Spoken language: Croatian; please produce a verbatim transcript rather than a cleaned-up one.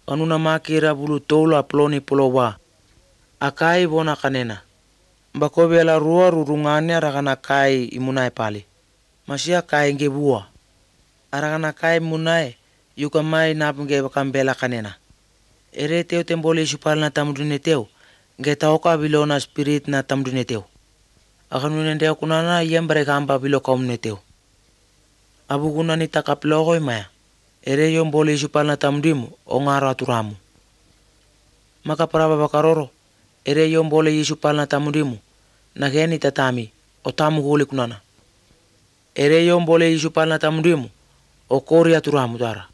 kanuna makira bulu toula ploni polowa. Akai bona kanena. Bakobela rua rurungane aragana kai imunai pali. Masia kai nge bua. Aragana kai munai yuka mai napnge bakambela kanena. Ere teo tembole isupal na tamudune teo. Nge taoka bilona spirit na tamudune teo. Akanune ndeo kunana yembre kamba bilo kaumne teo. Abu kunani takaplogo imaya. Ere yombole isupal na tamudimu ongara turamu. Maka paraba bakaroro. Ere yombole isupal na tamudimu. Nageni tatami otamu huli kunana. Ere yombole isupal na tamudimu. Okori aturamu dara.